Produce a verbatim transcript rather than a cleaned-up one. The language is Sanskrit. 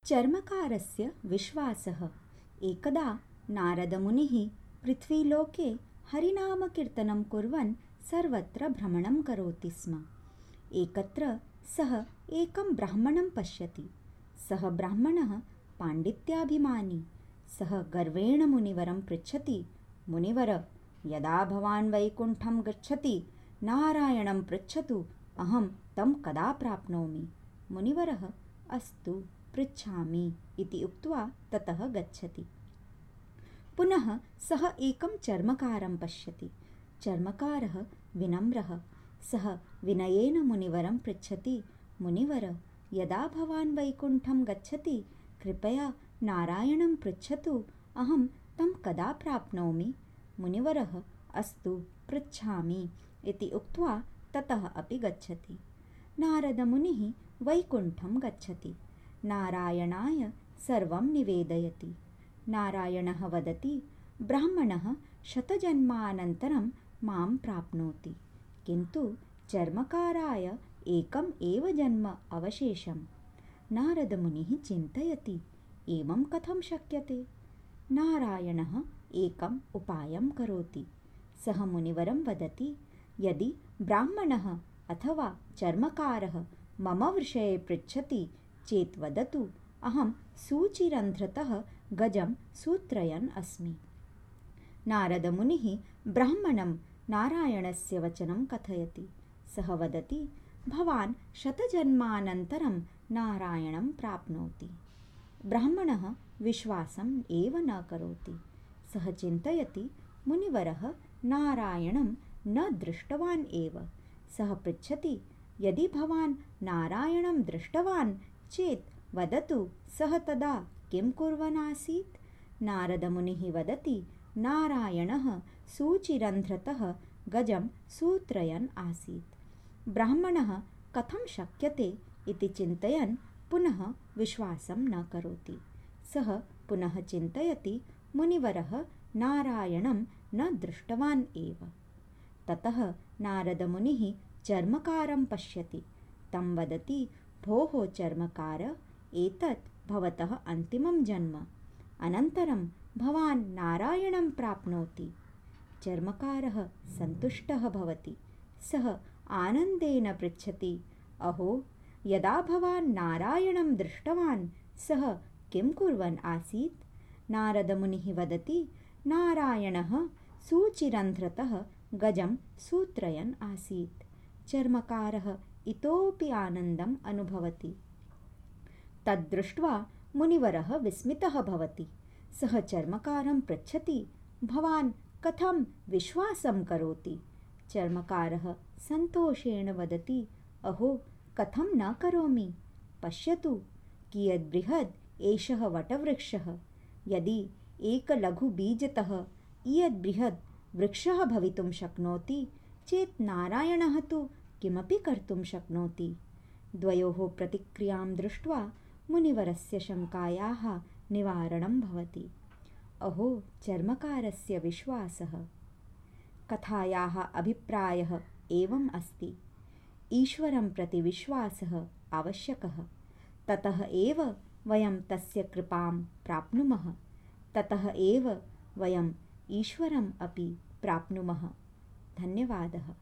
चर्मकारस्य विश्वासः। एकदा नारदमुनिः पृथ्वीलोके हरिनामकीर्तनं कुर्वन् सर्वत्र भ्रमणं करोति स्म। एकत्र सः एकं ब्राह्मणं पश्यति। सः ब्राह्मणः पाण्डित्याभिमानी। सः गर्वेण मुनिवरं पृच्छति, मुनिवर, यदा भवान् वैकुण्ठं गच्छति नारायणं पृच्छतु, अहं तं कदा प्राप्नोमि। मुनिवरः अस्तु पृच्छामि इति उक्त्वा ततः गच्छति। पुनः सः एकं चर्मकारं पश्यति। चर्मकारः विनम्रः। सः विनयेन मुनिवरं पृच्छति, मुनिवर, यदा भवान् वैकुण्ठं गच्छति कृपया नारायणं पृच्छतु, अहं तं कदा प्राप्नोमि। मुनिवरः अस्तु पृच्छामि इति उक्त्वा ततः अपि गच्छति। नारदमुनिः वैकुण्ठं गच्छति। नारायणाय सर्वं निवेदयति। नारायणः वदति, ब्राह्मणः शतजन्मानन्तरं मां प्राप्नोति, किन्तु चर्मकाराय एकम् एव जन्म अवशेषम्। नारदमुनिः चिन्तयति, एवं कथं शक्यते। नारायणः एकम् उपायं करोति। सः मुनिवरं वदति, यदि ब्राह्मणः अथवा चर्मकारः मम विषये पृच्छति चेत् वदतु, अहं सूचिरन्ध्रतः गजं सूत्रयन् अस्मि। नारदमुनिः ब्राह्मणं नारायणस्य वचनं कथयति। सः वदति, भवान् शतजन्मानन्तरं नारायणं प्राप्नोति। ब्राह्मणः विश्वासम् एव न करोति। सः चिन्तयति, मुनिवरः नारायणं न दृष्टवान् एव। सः पृच्छति, यदि भवान् नारायणं दृष्टवान् चेत् वदतु, सः तदा किं कुर्वन् आसीत्। नारदमुनिः वदति, नारायणः सूचिरन्ध्रतः गजं सूत्रयन् आसीत्। ब्राह्मणः कथं शक्यते इति चिन्तयन् पुनः विश्वासं न करोति। सः पुनः चिन्तयति, मुनिवरः नारायणं न दृष्टवान् एव। ततः नारदमुनिः चर्मकारं पश्यति। तं वदति, भोः चर्मकार, एतत् भवतः अन्तिमं जन्म, अनन्तरं भवान् नारायणं प्राप्नोति। चर्मकारः सन्तुष्टः भवति। सः आनन्देन पृच्छति, अहो, यदा भवान् नारायणं दृष्टवान् सः किं कुर्वन् आसीत्। नारदमुनिः वदति, नारायणः सूचिरन्ध्रतः गजं सूत्रयन् आसीत्। चर्मकारः इतोपि आनन्दम् अनुभवति। तद्दृष्ट्वा मुनिवरः विस्मितः भवति। सः चर्मकारं पृच्छति, भवान् कथं विश्वासं करोति। चर्मकारः सन्तोषेण वदति, अहो, कथं न करोमि। पश्यतु, कियद् बृहद् एषः वटवृक्षः। यदि एकलघुबीजतः इयद् बृहद् वृक्षः भवितुं शक्नोति चेत् नारायणः तु किमपि कर्तुं शक्नोति। द्वयोः प्रतिक्रियां दृष्ट्वा मुनिवरस्य शङ्कायाः निवारणं भवति। अहो चर्मकारस्य विश्वासः। कथायाः अभिप्रायः एवम् अस्ति, ईश्वरं प्रति विश्वासः आवश्यकः। ततः एव वयं तस्य कृपां प्राप्नुमः। ततः एव वयम् ईश्वरम् अपि प्राप्नुमः। धन्यवादः।